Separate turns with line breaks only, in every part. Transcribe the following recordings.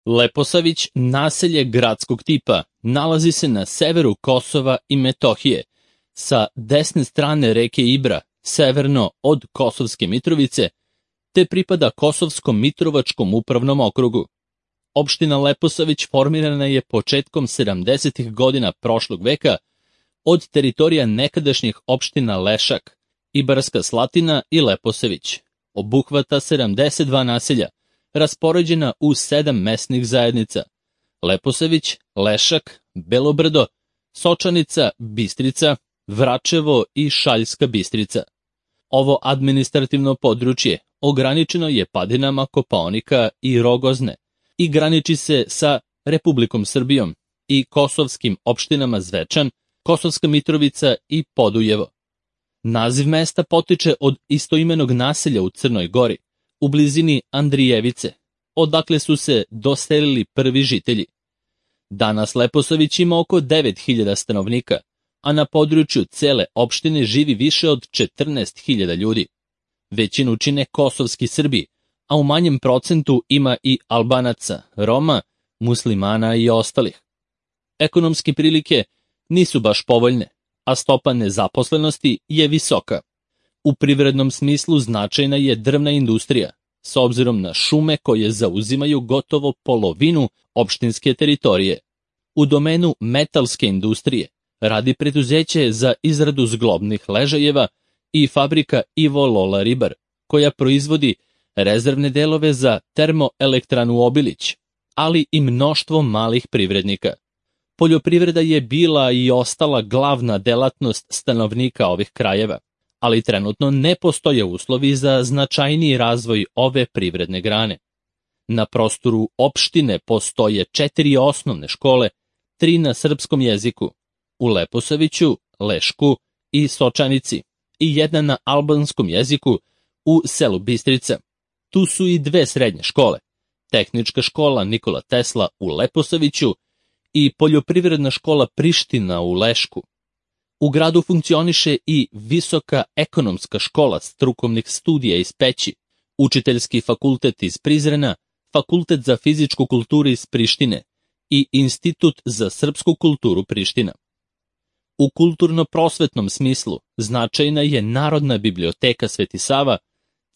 Leposavić, naselje gradskog tipa, nalazi se na severu Kosova i Metohije, sa desne strane reke Ibra, severno od Kosovske Mitrovice, te pripada Kosovskom Mitrovačkom upravnom okrugu. Opština Leposavić formirana je početkom 70. godina prošlog veka od teritorija nekadašnjih opština Lešak, Ibarska Slatina i Leposavić. Obuhvata 72 naselja, raspoređena u 7 mesnih zajednica: Leposavić, Lešak, Belobrdo, Sočanica, Bistrica, Vračevo i Šaljska Bistrica. Ovo administrativno područje ograničeno je padinama Kopaonika i Rogozne i graniči se sa Republikom Srbijom i kosovskim opštinama Zvečan, Kosovska Mitrovica i Podujevo. Naziv mesta potiče od istoimenog naselja u Crnoj Gori, u blizini Andrijevice, odakle su se doselili prvi žitelji. Danas Leposavić ima oko 9000 stanovnika, a na području cele opštine živi više od 14.000 ljudi. Većinu čine kosovski Srbi, a u manjem procentu ima i Albanaca, Roma, muslimana i ostalih. Ekonomske prilike nisu baš povoljne, a stopa nezaposlenosti je visoka. U privrednom smislu značajna je drvna industrija, s obzirom na šume koje zauzimaju gotovo polovinu opštinske teritorije. U domenu metalske industrije radi preduzeće za izradu zglobnih ležajeva i fabrika Ivo Lola Ribar, koja proizvodi rezervne delove za termoelektranu Obilić, ali i mnoštvo malih privrednika. Poljoprivreda je bila i ostala glavna delatnost stanovnika ovih krajeva, ali trenutno ne postoje uslovi za značajniji razvoj ove privredne grane. Na prostoru opštine postoje 4 osnovne škole, 3 na srpskom jeziku, u Leposaviću, Lešku i Sočanici, i 1 na albanskom jeziku u selu Bistrica. Tu su i 2 srednje škole, Tehnička škola Nikola Tesla u Leposaviću i Poljoprivredna škola Priština u Lešku. U gradu funkcioniše i Visoka ekonomska škola strukovnih studija iz Peći, Učiteljski fakultet iz Prizrena, Fakultet za fizičku kulturu iz Prištine i Institut za srpsku kulturu Priština. U kulturno-prosvetnom smislu značajna je Narodna biblioteka Sveti Sava,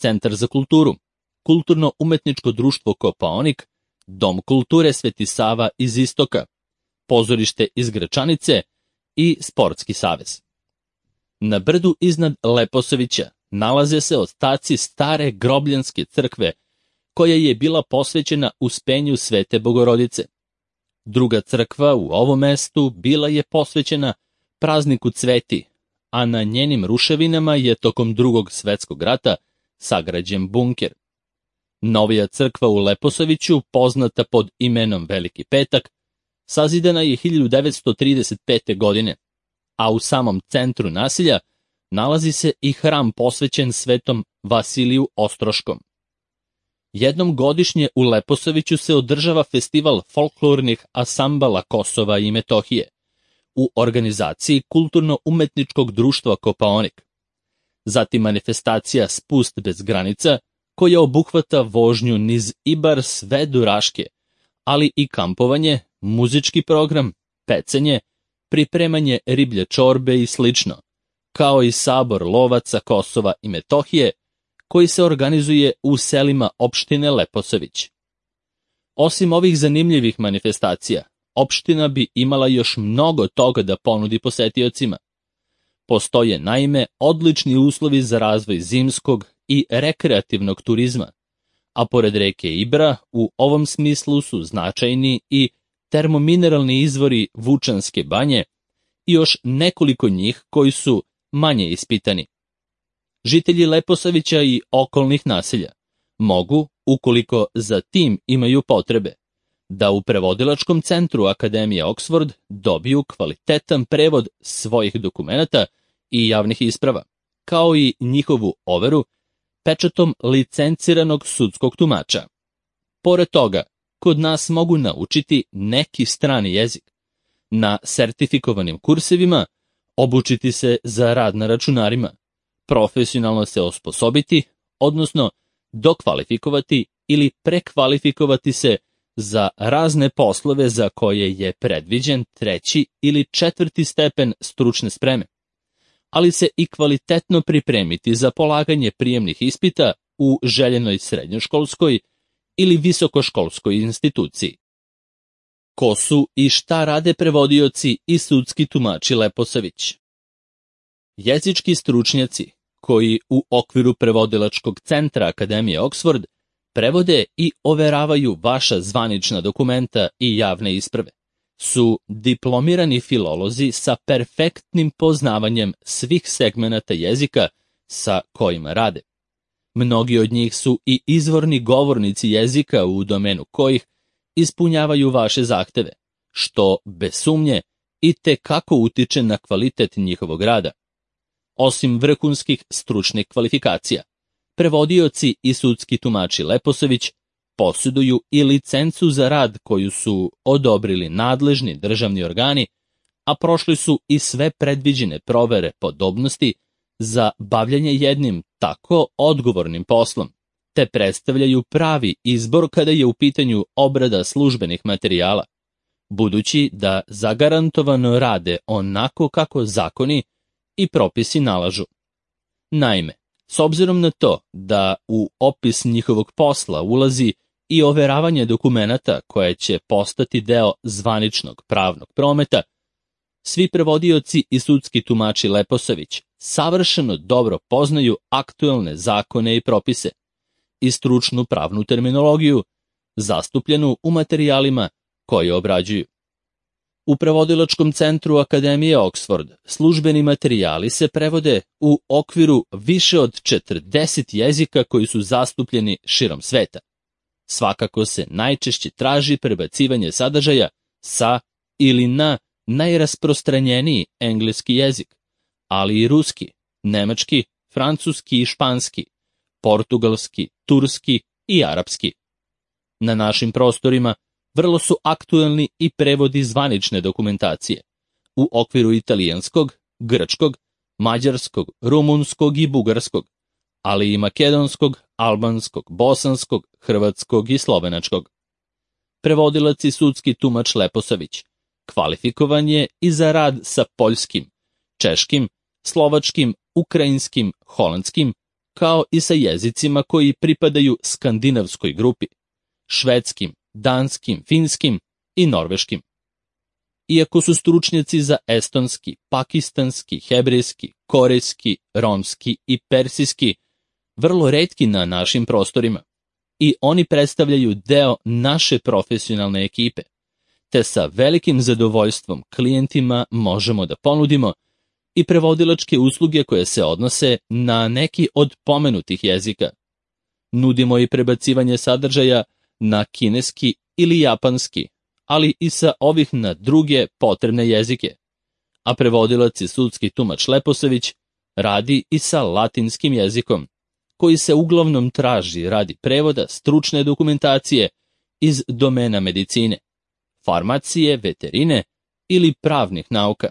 Centar za kulturu, Kulturno-umetničko društvo Kopaonik, Dom kulture Sveti Sava iz Istoka, Pozorište iz Gračanice i Sportski savez. Na brdu iznad Leposavića nalaze se ostaci stare grobljanske crkve, koja je bila posvećena uspenju Svete Bogorodice. Druga crkva u ovom mestu bila je posvećena prazniku Cveti, a na njenim ruševinama je tokom Drugog svetskog rata sagrađen bunker. Novija crkva u Leposaviću, poznata pod imenom Veliki petak, sazidana je 1935. godine, a u samom centru naselja nalazi se i hram posvećen svetom Vasiliju Ostroškom. Jednom godišnje u Leposaviću se održava festival folklornih asambala Kosova i Metohije u organizaciji Kulturno-umetničkog društva Kopaonik. Zatim manifestacija Spust bez granica, koja obuhvata vožnju niz Ibar sve do Raške, ali i kampovanje, muzički program, pecanje, pripremanje riblje čorbe i slično, kao i sabor lovaca Kosova i Metohije, koji se organizuje u selima opštine Leposavić. Osim ovih zanimljivih manifestacija, opština bi imala još mnogo toga da ponudi posetiocima. Postoje naime odlični uslovi za razvoj zimskog i rekreativnog turizma, a pored reke Ibra u ovom smislu su značajni i termomineralni izvori Vučanske banje i još nekoliko njih koji su manje ispitani. Žitelji Leposavića i okolnih naselja mogu, ukoliko za tim imaju potrebe, da u prevodilačkom centru Akademije Oxford dobiju kvalitetan prevod svojih dokumenata i javnih isprava, kao i njihovu overu pečatom licenciranog sudskog tumača. Pored toga, kod nas mogu naučiti neki strani jezik, na sertifikovanim kursevima obučiti se za rad na računarima, profesionalno se osposobiti, odnosno dokvalifikovati ili prekvalifikovati se za razne poslove za koje je predviđen 3. ili 4. stepen stručne spreme, ali se i kvalitetno pripremiti za polaganje prijemnih ispita u željenoj srednjoškolskoj ili visokoškolskoj instituciji. Ko su i šta rade prevodioci i sudski tumači Leposavić? Jezički stručnjaci koji u okviru prevodilačkog centra Akademije Oxford prevode i overavaju vaša zvanična dokumenta i javne isprave, su diplomirani filolozi sa perfektnim poznavanjem svih segmenata jezika sa kojima rade. Mnogi od njih su i izvorni govornici jezika u domenu kojih ispunjavaju vaše zahteve, što, bez sumnje, i te kako utiče na kvalitet njihovog rada. Osim vrhunskih stručnih kvalifikacija, prevodioci i sudski tumači Leposavić posjeduju i licencu za rad koju su odobrili nadležni državni organi, a prošli su i sve predviđene provere podobnosti za bavljanje jednim tako odgovornim poslom, te predstavljaju pravi izbor kada je u pitanju obrada službenih materijala, budući da zagarantovano rade onako kako zakoni i propisi nalažu. Naime, s obzirom na to da u opis njihovog posla ulazi i overavanje dokumenata koje će postati deo zvaničnog pravnog prometa, svi prevodioci i sudski tumači Leposavić savršeno dobro poznaju aktuelne zakone i propise i stručnu pravnu terminologiju, zastupljenu u materijalima koje obrađuju. U prevodilačkom centru Akademije Oxford službeni materijali se prevode u okviru više od 40 jezika koji su zastupljeni širom sveta. Svakako se najčešće traži prebacivanje sadržaja sa ili na najrasprostranjeniji engleski jezik, ali i ruski, nemački, francuski i španski, portugalski, turski i arapski. Na našim prostorima vrlo su aktuelni i prevodi zvanične dokumentacije u okviru italijanskog, grčkog, mađarskog, rumunskog i bugarskog, ali i makedonskog, albanskog, bosanskog, hrvatskog i slovenačkog. Prevodilac i sudski tumač Leposavić kvalifikovan je i za rad sa poljskim, češkim, slovačkim, ukrajinskim, holandskim, kao i sa jezicima koji pripadaju skandinavskoj grupi, švedskim, danskim, finskim i norveškim. Iako su stručnjaci za estonski, pakistanski, hebrejski, korejski, romski i persijski vrlo retki na našim prostorima i oni predstavljaju deo naše profesionalne ekipe, te sa velikim zadovoljstvom klijentima možemo da ponudimo i prevodilačke usluge koje se odnose na neki od pomenutih jezika. Nudimo i prebacivanje sadržaja na kineski ili japanski, ali i sa ovih na druge potrebne jezike. A prevodilac i sudski tumač Leposavić radi i sa latinskim jezikom, koji se uglavnom traži radi prevoda stručne dokumentacije iz domena medicine, farmacije, veterine ili pravnih nauka.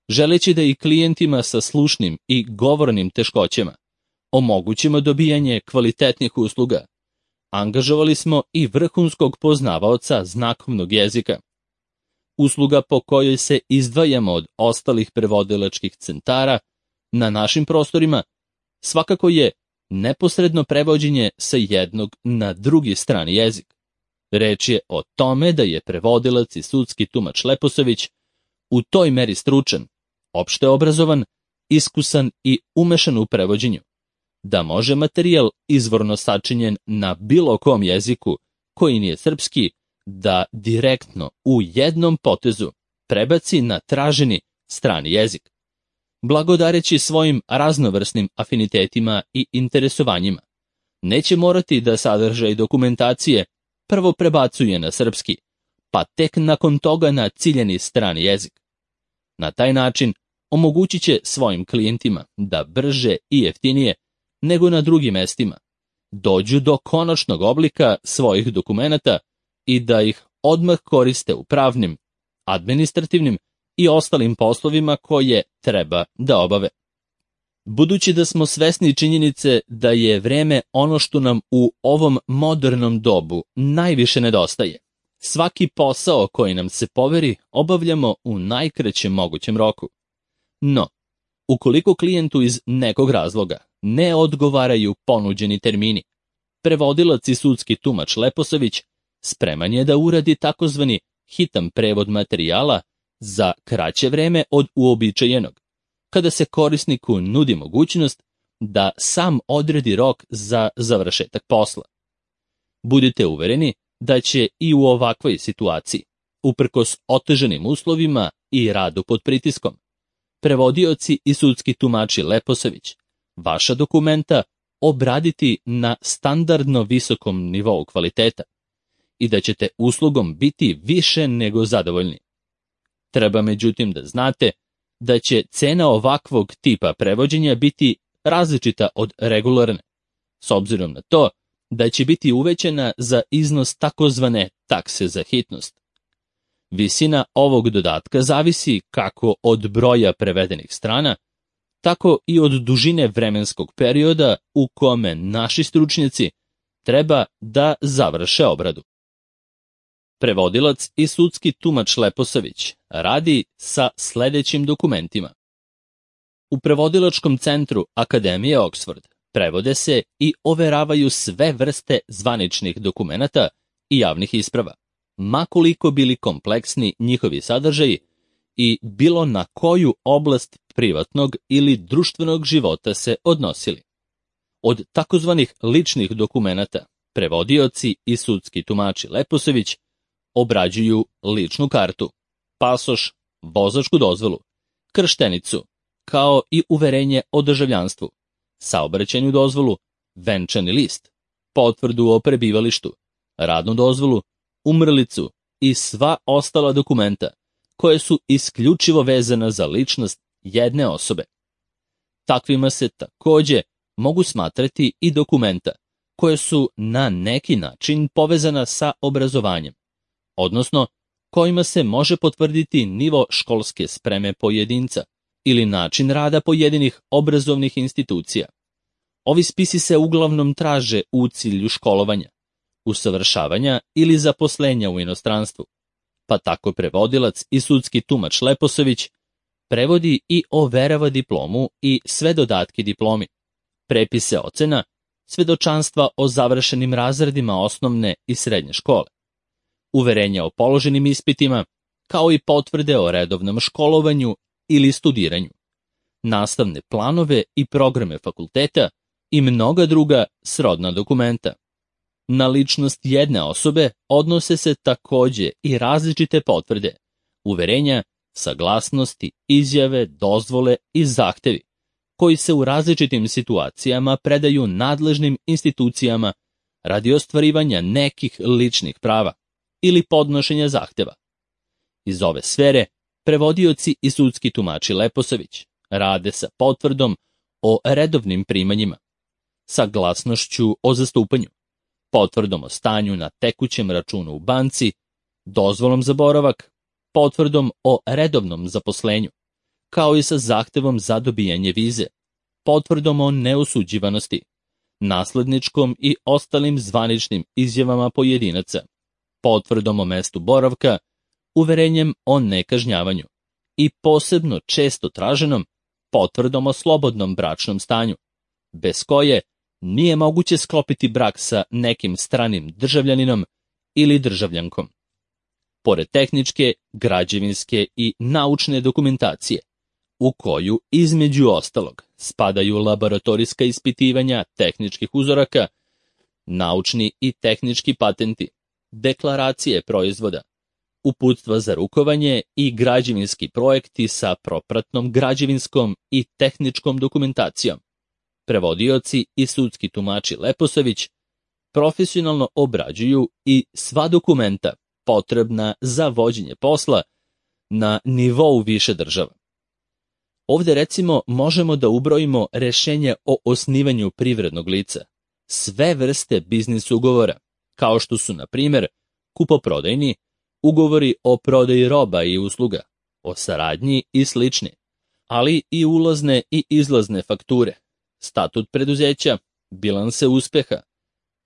Želeći da i klijentima sa slušnim i govornim teškoćama omogućimo dobijanje kvalitetnih usluga, angažovali smo i vrhunskog poznavaoca znakovnog jezika. Usluga po kojoj se izdvajamo od ostalih prevodilačkih centara na našim prostorima svakako je neposredno prevođenje sa jednog na drugi strani jezik. Reč je o tome da je prevodilac i sudski tumač Leposavić u toj meri stručan, opšte obrazovan, iskusan i umešan u prevođenju, da može materijal izvorno sačinjen na bilo kom jeziku koji nije srpski da direktno u jednom potezu prebaci na traženi strani jezik. Blagodareći svojim raznovrsnim afinitetima i interesovanjima, neće morati da sadržaj dokumentacije prvo prebacuje na srpski, pa tek nakon toga na ciljeni strani jezik. Na taj način omogućit će svojim klijentima da brže i jeftinije nego na drugim mestima dođu do konačnog oblika svojih dokumenata i da ih odmah koriste u pravnim, administrativnim i ostalim poslovima koje treba da obave. Budući da smo svesni činjenice da je vreme ono što nam u ovom modernom dobu najviše nedostaje, svaki posao koji nam se poveri obavljamo u najkraćem mogućem roku. No, ukoliko klijentu iz nekog razloga ne odgovaraju ponuđeni termini, prevodilac i sudski tumač Leposavić spreman je da uradi takozvani hitan prevod materijala za kraće vreme od uobičajenog, kada se korisniku nudi mogućnost da sam odredi rok za završetak posla. Budite uvereni da će i u ovakvoj situaciji, uprkos otežanim uslovima i radu pod pritiskom, prevodioci i sudski tumači Leposavić vaša dokumenta obraditi na standardno visokom nivou kvaliteta i da ćete uslugom biti više nego zadovoljni. Treba međutim da znate da će cena ovakvog tipa prevođenja biti različita od regularne, s obzirom na to da će biti uvećana za iznos takozvane takse za hitnost. Visina ovog dodatka zavisi kako od broja prevedenih strana, tako i od dužine vremenskog perioda u kome naši stručnjaci treba da završe obradu. Prevodilac i sudski tumač Leposavić radi sa sledećim dokumentima. U prevodilačkom centru Akademije Oxford prevode se i overavaju sve vrste zvaničnih dokumenata i javnih isprava, ma koliko bili kompleksni njihovi sadržaji i bilo na koju oblast privatnog ili društvenog života se odnosili. Od takozvanih ličnih dokumenata prevodioci i sudski tumači Leposavić obrađuju ličnu kartu, pasoš, vozačku dozvolu, krštenicu, kao i uverenje o državljanstvu, saobraćajnu dozvolu, venčani list, potvrdu o prebivalištu, radnu dozvolu, umrlicu i sva ostala dokumenta koje su isključivo vezana za ličnost jedne osobe. Takvima se takođe mogu smatrati i dokumenta koje su na neki način povezana sa obrazovanjem, odnosno kojima se može potvrditi nivo školske spreme pojedinca ili način rada pojedinih obrazovnih institucija. Ovi spisi se uglavnom traže u cilju školovanja, usavršavanja ili zaposlenja u inostranstvu, pa tako prevodilac i sudski tumač Leposavić prevodi i overava diplomu i sve dodatke diplomi, prepise ocena, svedočanstva o završenim razredima osnovne i srednje škole, uverenja o položenim ispitima, kao i potvrde o redovnom školovanju ili studiranju, nastavne planove i programe fakulteta i mnoga druga srodna dokumenta. Na ličnost jedne osobe odnose se takođe i različite potvrde, uverenja, saglasnosti, izjave, dozvole i zahtevi, koji se u različitim situacijama predaju nadležnim institucijama radi ostvarivanja nekih ličnih prava ili podnošenja zahteva. Iz ove sfere prevodioci i sudski tumači Leposavić rade sa potvrdom o redovnim primanjima, saglasnošću o zastupanju, potvrdom o stanju na tekućem računu u banci, dozvolom za boravak, potvrdom o redovnom zaposlenju, kao i sa zahtevom za dobijanje vize, potvrdom o neosuđivanosti, nasledničkom i ostalim zvaničnim izjavama pojedinaca, potvrdom o mestu boravka, uverenjem o nekažnjavanju i posebno često traženom potvrdom o slobodnom bračnom stanju, bez koje nije moguće sklopiti brak sa nekim stranim državljaninom ili državljankom. Pored tehničke, građevinske i naučne dokumentacije, u koju, između ostalog, spadaju laboratorijska ispitivanja tehničkih uzoraka, naučni i tehnički patenti, deklaracije proizvoda, uputstva za rukovanje i građevinski projekti sa propratnom građevinskom i tehničkom dokumentacijom. Prevodioci i sudski tumači Leposavić profesionalno obrađuju i sva dokumenta potrebna za vođenje posla na nivou više država. Ovde recimo možemo da ubrojimo rešenje o osnivanju privrednog lica, sve vrste biznis ugovora, kao što su, na primer, kupoprodajni, ugovori o prodaji roba i usluga, o saradnji i slični, ali i ulazne i izlazne fakture, statut preduzeća, bilanse uspeha,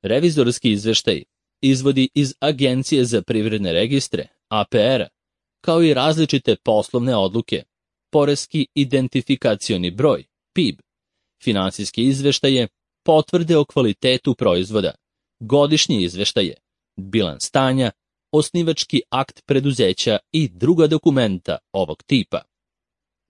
revizorski izveštaj, izvodi iz Agencije za privredne registre, APR-a, kao i različite poslovne odluke, poreski identifikacioni broj, PIB, finansijske izveštaje, potvrde o kvalitetu proizvoda, godišnje izveštaje, bilans stanja, osnivački akt preduzeća i druga dokumenta ovog tipa.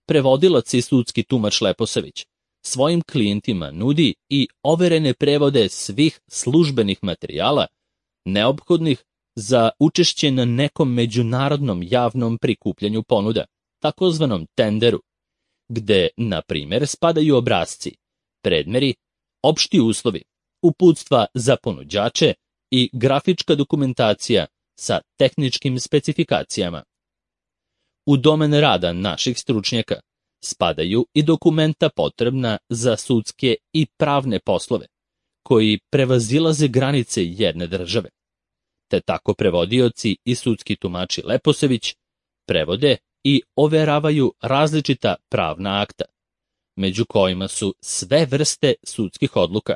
Prevodilac i sudski tumač Leposavić svojim klijentima nudi i overene prevode svih službenih materijala neophodnih za učešće na nekom međunarodnom javnom prikupljanju ponuda, takozvanom tenderu, gde, na primjer, spadaju obrasci, predmeri, opšti uslovi, uputstva za ponuđače i grafička dokumentacija sa tehničkim specifikacijama. U domen rada naših stručnjaka spadaju i dokumenta potrebna za sudske i pravne poslove, koji prevazilaze granice jedne države. Te tako prevodioci i sudski tumači Leposavić prevode i overavaju različita pravna akta, među kojima su sve vrste sudskih odluka,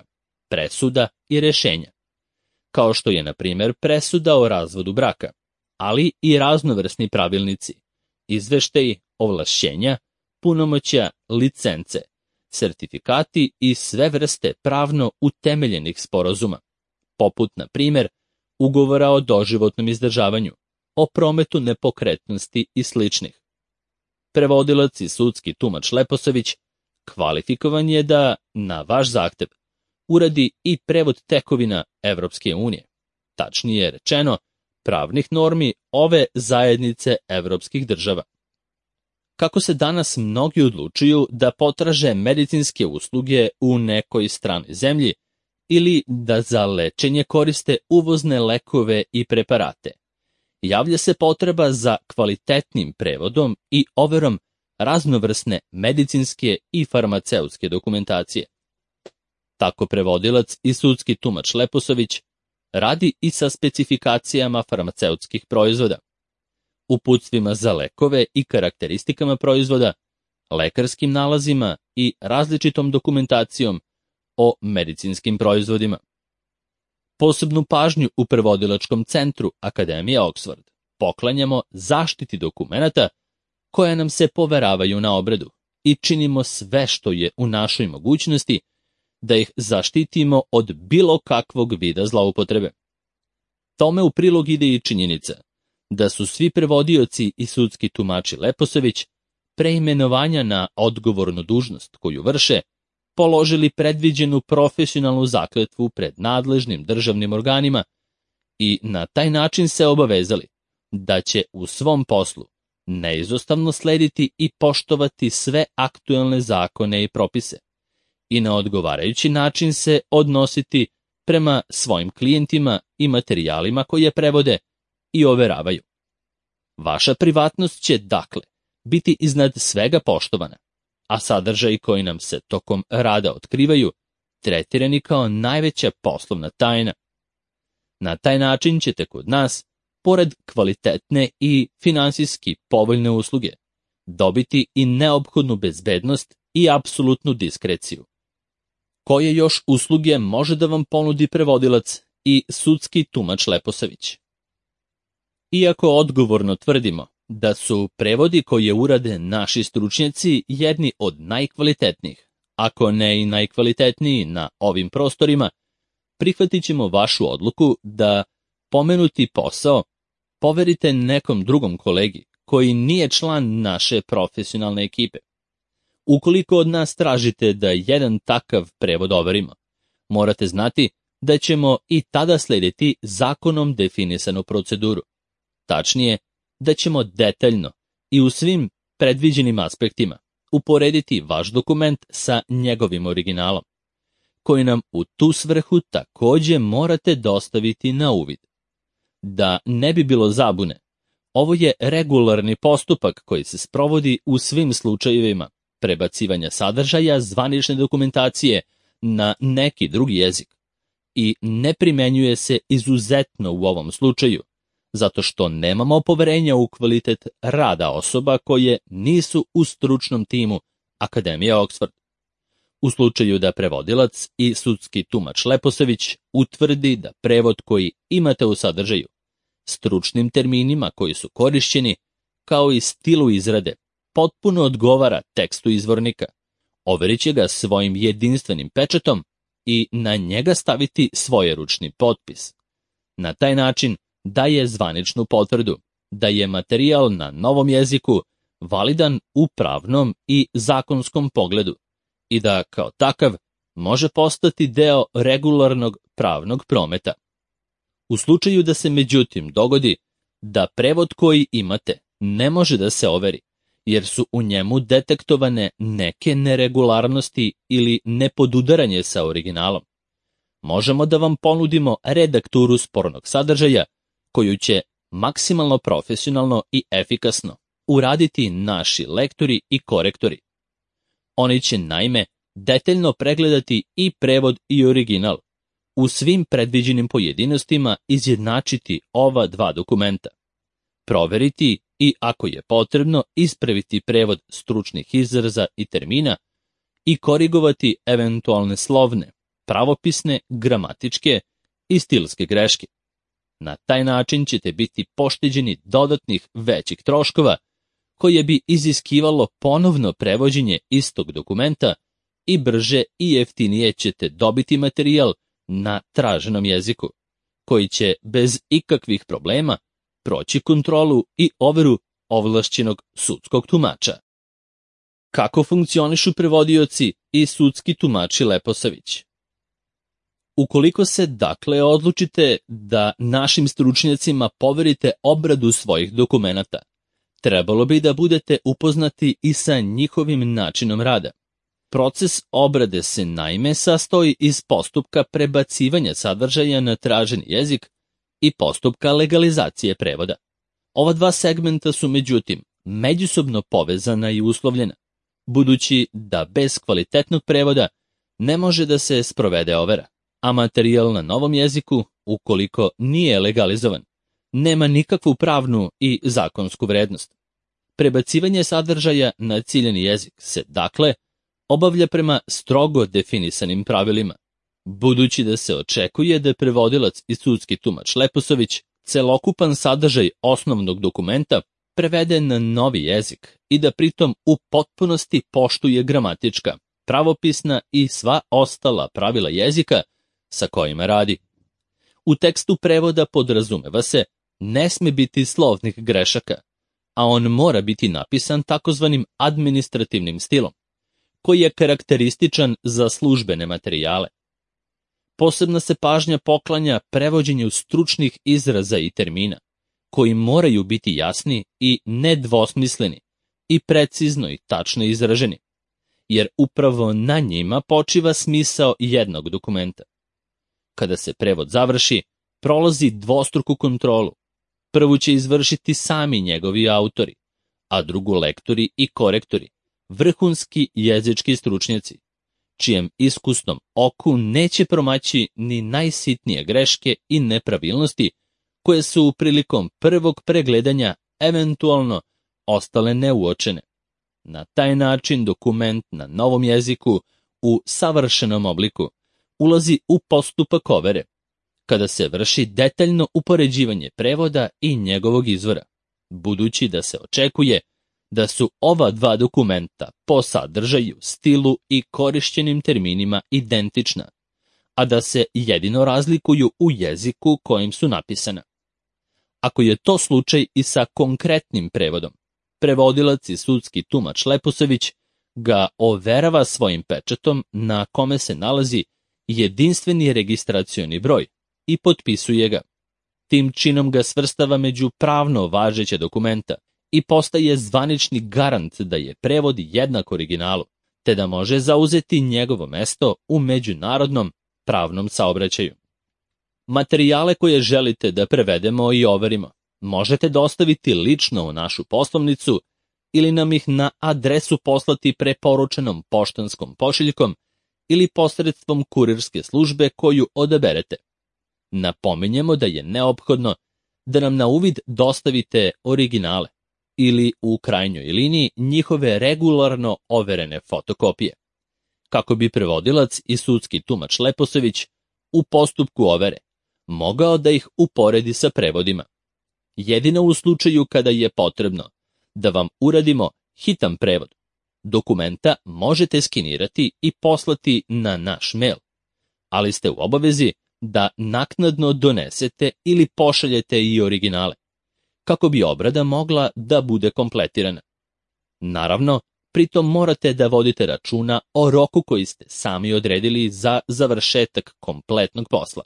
presuda i rešenja, kao što je, na primjer, presuda o razvodu braka, ali i raznovrsni pravilnici, izveštaji, ovlašćenja, punomoćja, licence, sertifikati i sve vrste pravno utemeljenih sporazuma, poput, na primjer, ugovora o doživotnom izdržavanju, o prometu nepokretnosti i sličnih. Prevodilac i sudski tumač Leposavić kvalifikovan je da, na vaš zahtev, uradi i prevod tekovina Evropske unije, tačnije rečeno, pravnih normi ove zajednice evropskih država. Kako se danas mnogi odlučuju da potraže medicinske usluge u nekoj stranoj zemlji ili da za lečenje koriste uvozne lekove i preparate, javlja se potreba za kvalitetnim prevodom i overom raznovrsne medicinske i farmaceutske dokumentacije. Tako prevodilac i sudski tumač Leposavić radi i sa specifikacijama farmaceutskih proizvoda, uputstvima za lekove i karakteristikama proizvoda, lekarskim nalazima i različitom dokumentacijom o medicinskim proizvodima. Posebnu pažnju u prevodilačkom centru Akademije Oxford poklanjamo zaštiti dokumenata koja nam se poveravaju na obradu i činimo sve što je u našoj mogućnosti da ih zaštitimo od bilo kakvog vida zloupotrebe. Tome u prilog ide i činjenica da su svi prevodioci i sudski tumači Leposavić pre imenovanja na odgovornu dužnost koju vrše položili predviđenu profesionalnu zakletvu pred nadležnim državnim organima i na taj način se obavezali da će u svom poslu neizostavno slediti i poštovati sve aktuelne zakone i propise i na odgovarajući način se odnositi prema svojim klijentima i materijalima koje prevode i overavaju. Vaša privatnost će, dakle, biti iznad svega poštovana, a sadržaji koji nam se tokom rada otkrivaju tretirani kao najveća poslovna tajna. Na taj način ćete kod nas, pored kvalitetne i finansijski povoljne usluge, dobiti i neophodnu bezbednost i apsolutnu diskreciju. Koje još usluge može da vam ponudi prevodilac i sudski tumač Leposavić? Iako odgovorno tvrdimo da su prevodi koje urade naši stručnjaci jedni od najkvalitetnijih, ako ne i najkvalitetniji na ovim prostorima, prihvatit ćemo vašu odluku da pomenuti posao poverite nekom drugom kolegi koji nije član naše profesionalne ekipe. Ukoliko od nas tražite da jedan takav prevod overimo, morate znati da ćemo i tada slediti zakonom definisanu proceduru. Tačnije, da ćemo detaljno i u svim predviđenim aspektima uporediti vaš dokument sa njegovim originalom, koji nam u tu svrhu takođe morate dostaviti na uvid. Da ne bi bilo zabune, ovo je regularni postupak koji se sprovodi u svim slučajevima prebacivanja sadržaja zvanične dokumentacije na neki drugi jezik i ne primenjuje se izuzetno u ovom slučaju, zato što nemamo poverenja u kvalitet rada osoba koje nisu u stručnom timu Akademija Oxford. U slučaju da prevodilac i sudski tumač Leposavić utvrdi da prevod koji imate u sadržaju, stručnim terminima koji su korišćeni, kao i stilu izrade, potpuno odgovara tekstu izvornika, overit će ga svojim jedinstvenim pečatom i na njega staviti svojeručni potpis. Na taj način daje zvaničnu potvrdu da je materijal na novom jeziku validan u pravnom i zakonskom pogledu i da, kao takav, može postati deo regularnog pravnog prometa. U slučaju da se međutim dogodi da prevod koji imate ne može da se overi, jer su u njemu detektovane neke neregularnosti ili nepodudaranje sa originalom, možemo da vam ponudimo redakturu spornog sadržaja koju će maksimalno profesionalno i efikasno uraditi naši lektori i korektori. Oni će naime detaljno pregledati i prevod i original, u svim predviđenim pojedinostima izjednačiti ova dva dokumenta, proveriti i, ako je potrebno, ispraviti prevod stručnih izraza i termina i korigovati eventualne slovne, pravopisne, gramatičke i stilske greške. Na taj način ćete biti pošteđeni dodatnih većih troškova koje bi iziskivalo ponovno prevođenje istog dokumenta i brže i jeftinije ćete dobiti materijal na traženom jeziku, koji će bez ikakvih problema proći kontrolu i overu ovlašćenog sudskog tumača. Kako funkcionišu prevodioci i sudski tumači Leposavić? Ukoliko se dakle odlučite da našim stručnjacima poverite obradu svojih dokumenata, trebalo bi da budete upoznati i sa njihovim načinom rada. Proces obrade se naime sastoji iz postupka prebacivanja sadržaja na traženi jezik i postupka legalizacije prevoda. Ova dva segmenta su međutim međusobno povezana i uslovljena, budući da bez kvalitetnog prevoda ne može da se sprovede overa, a materijal na novom jeziku, ukoliko nije legalizovan, nema nikakvu pravnu i zakonsku vrednost. Prebacivanje sadržaja na ciljani jezik se, dakle, obavlja prema strogo definisanim pravilima, budući da se očekuje da prevodilac i sudski tumač Leposavić celokupan sadržaj osnovnog dokumenta prevede na novi jezik i da pritom u potpunosti poštuje gramatička, pravopisna i sva ostala pravila jezika sa kojima radi. U tekstu prevoda podrazumeva se ne sme biti slovnih grešaka, a on mora biti napisan takozvanim administrativnim stilom, koji je karakterističan za službene materijale. Posebna se pažnja poklanja prevođenju stručnih izraza i termina, koji moraju biti jasni i nedvosmisleni i precizno i tačno izraženi, jer upravo na njima počiva smisao jednog dokumenta. Kada se prevod završi, prolazi dvostruku kontrolu. Prvu će izvršiti sami njegovi autori, a drugu lektori i korektori, vrhunski jezički stručnjaci, čijem iskusnom oku neće promaći ni najsitnije greške i nepravilnosti koje su prilikom prvog pregledanja eventualno ostale neuočene. Na taj način dokument na novom jeziku u savršenom obliku ulazi u postupak overe, kada se vrši detaljno upoređivanje prevoda i njegovog izvora, budući da se očekuje da su ova dva dokumenta po sadržaju, stilu i korišćenim terminima identična, a da se jedino razlikuju u jeziku kojim su napisana. Ako je to slučaj i sa konkretnim prevodom, prevodilac i sudski tumač Leposavić ga overava svojim pečatom na kome se nalazi jedinstveni registracioni broj i potpisuje ga. Tim činom ga svrstava među pravno važeća dokumenta i postaje zvanični garant da je prevod jednak originalu, te da može zauzeti njegovo mesto u međunarodnom pravnom saobraćaju. Materijale koje želite da prevedemo i overimo možete dostaviti lično u našu poslovnicu ili nam ih na adresu poslati preporučenom poštanskom pošiljkom ili posredstvom kurirske službe koju odaberete. Napominjemo da je neophodno da nam na uvid dostavite originale ili u krajnjoj liniji njihove regularno overene fotokopije, kako bi prevodilac i sudski tumač Leposavić u postupku overe mogao da ih uporedi sa prevodima. Jedino u slučaju kada je potrebno da vam uradimo hitan prevod, dokumenta možete skenirati i poslati na naš mail, ali ste u obavezi da naknadno donesete ili pošaljete i originale, kako bi obrada mogla da bude kompletirana. Naravno, pritom morate da vodite računa o roku koji ste sami odredili za završetak kompletnog posla.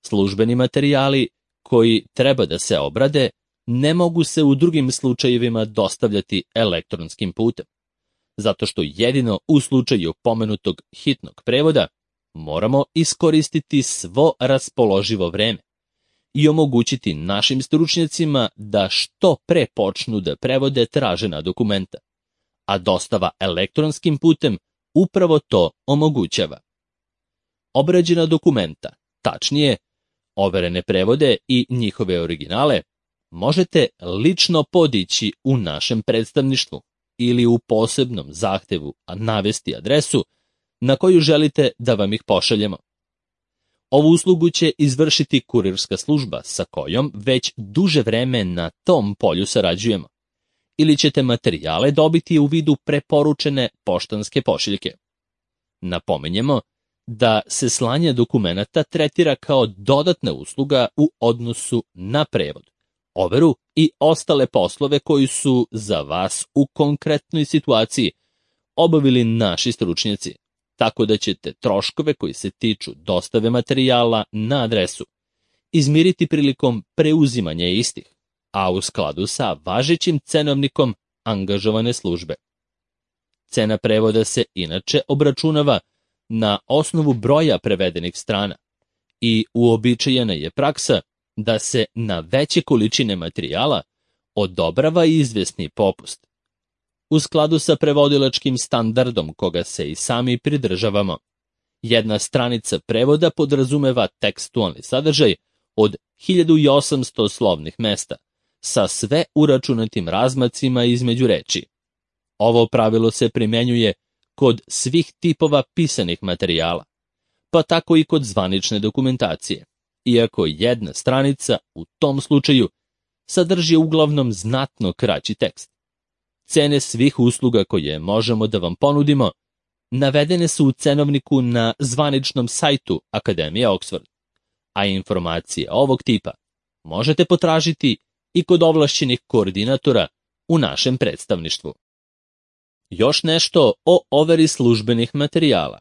Službeni materijali koji treba da se obrade ne mogu se u drugim slučajevima dostavljati elektronskim putem, zato što jedino u slučaju pomenutog hitnog prevoda moramo iskoristiti svo raspoloživo vreme i omogućiti našim stručnjacima da što pre počnu da prevode tražena dokumenta, a dostava elektronskim putem upravo to omogućava. Obrađena dokumenta, tačnije, overene prevode i njihove originale, možete lično podići u našem predstavništvu ili u posebnom zahtevu navesti adresu na koju želite da vam ih pošaljemo. Ovu uslugu će izvršiti kurirska služba sa kojom već duže vreme na tom polju sarađujemo, ili ćete materijale dobiti u vidu preporučene poštanske pošiljke. Napominjemo da se slanje dokumenata tretira kao dodatna usluga u odnosu na prevod, overu i ostale poslove koji su za vas u konkretnoj situaciji obavili naši stručnjaci, tako da ćete troškove koji se tiču dostave materijala na adresu izmiriti prilikom preuzimanja istih, a u skladu sa važećim cenovnikom angažovane službe. Cena prevoda se inače obračunava na osnovu broja prevedenih strana i uobičajena je praksa da se na veće količine materijala odobrava izvesni popust. U skladu sa prevodilačkim standardom koga se i sami pridržavamo, jedna stranica prevoda podrazumeva tekstualni sadržaj od 1800 slovnih mesta, sa sve uračunatim razmacima između reči. Ovo pravilo se primenjuje kod svih tipova pisanih materijala, pa tako i kod zvanične dokumentacije, iako jedna stranica u tom slučaju sadrži uglavnom znatno kraći tekst. Cene svih usluga koje možemo da vam ponudimo navedene su u cenovniku na zvaničnom sajtu Akademije Oxford, a informacije ovog tipa možete potražiti i kod ovlašćenih koordinatora u našem predstavništvu. Još nešto o overi službenih materijala.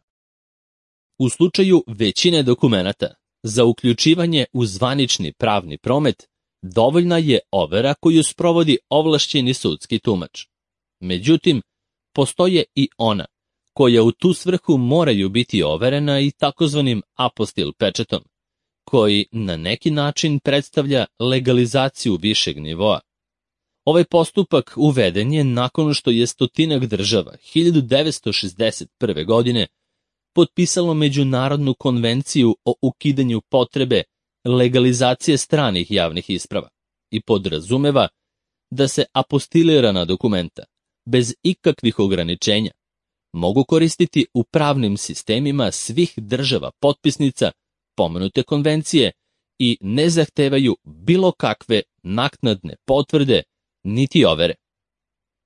U slučaju većine dokumenata, za uključivanje u zvanični pravni promet, dovoljna je overa koju sprovodi ovlašćeni sudski tumač. Međutim, postoje i ona, koja u tu svrhu moraju biti overena i takozvanim apostil pečetom, koji na neki način predstavlja legalizaciju višeg nivoa. Ovaj postupak uveden je nakon što je stotinak država 1961. godine potpisalo Međunarodnu konvenciju o ukidanju potrebe legalizacije stranih javnih isprava i podrazumeva da se apostilirana dokumenta, bez ikakvih ograničenja, mogu koristiti u pravnim sistemima svih država potpisnica pomenute konvencije i ne zahtevaju bilo kakve naknadne potvrde niti overe.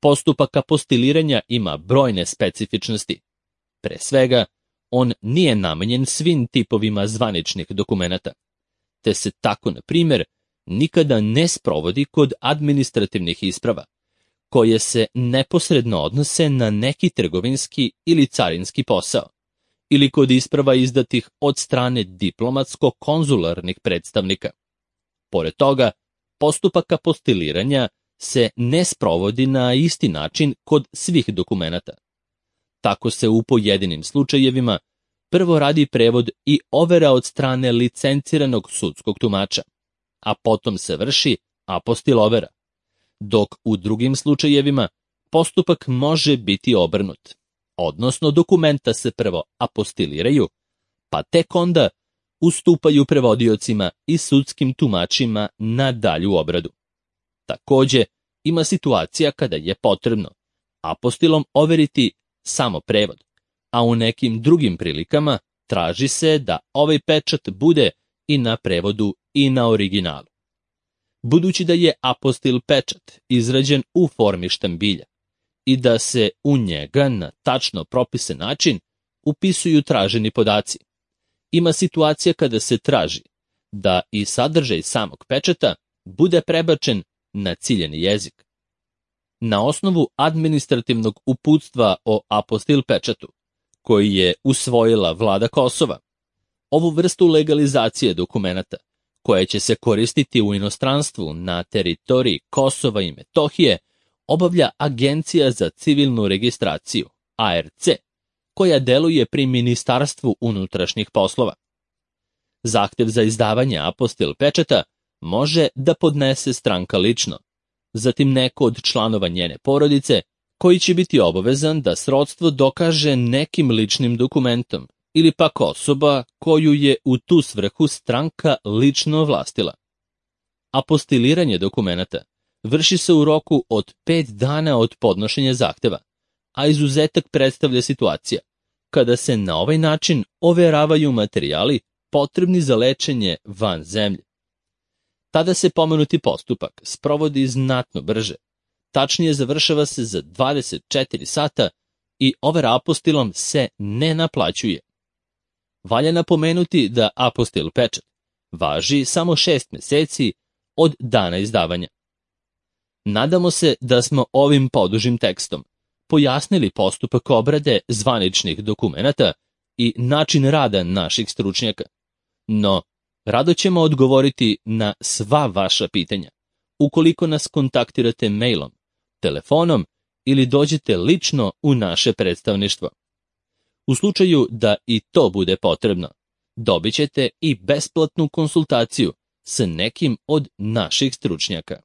Postupak apostiliranja ima brojne specifičnosti. Pre svega, on nije namenjen svim tipovima zvaničnih dokumenata, te se tako, na primjer, nikada ne sprovodi kod administrativnih isprava, koje se neposredno odnose na neki trgovinski ili carinski posao, ili kod isprava izdatih od strane diplomatsko-konzularnih predstavnika. Pored toga, postupak apostiliranja se ne sprovodi na isti način kod svih dokumenata. Tako se u pojedinim slučajevima prvo radi prevod i overa od strane licenciranog sudskog tumača, a potom se vrši apostil overa, dok u drugim slučajevima postupak može biti obrnut, odnosno dokumenta se prvo apostiliraju, pa tek onda ustupaju prevodiocima i sudskim tumačima na dalju obradu. Takođe, ima situacija kada je potrebno apostilom overiti samo prevod, a u nekim drugim prilikama traži se da ovaj pečat bude i na prevodu i na originalu. Budući da je apostil pečat izrađen u formi štambilja i da se u njega na tačno propisan način upisuju traženi podaci, ima situacija kada se traži da i sadržaj samog pečata bude prebačen na ciljeni jezik. Na osnovu administrativnog uputstva o apostil pečatu, koji je usvojila vlada Kosova, ovu vrstu legalizacije dokumenata, koja će se koristiti u inostranstvu na teritoriji Kosova i Metohije, obavlja Agencija za civilnu registraciju, ARC, koja deluje pri Ministarstvu unutrašnjih poslova. Zahtev za izdavanje apostil pečata može da podnese stranka lično, zatim neko od članova njene porodice, koji će biti obavezan da srodstvo dokaže nekim ličnim dokumentom, ili pak osoba koju je u tu svrhu stranka lično ovlastila. Apostiliranje dokumenata vrši se u roku od 5 dana od podnošenja zahteva, a izuzetak predstavlja situacija kada se na ovaj način overavaju materijali potrebni za lečenje van zemlje. Tada se pomenuti postupak sprovodi znatno brže, tačnije završava se za 24 sata i overa apostilom se ne naplaćuje. Valja napomenuti da apostil pečat važi samo 6 meseci od dana izdavanja. Nadamo se da smo ovim podužim tekstom pojasnili postupak obrade zvaničnih dokumenata i način rada naših stručnjaka, no rado ćemo odgovoriti na sva vaša pitanja, ukoliko nas kontaktirate mailom, telefonom ili dođete lično u naše predstavništvo. U slučaju da i to bude potrebno, dobit ćete i besplatnu konsultaciju sa nekim od naših stručnjaka.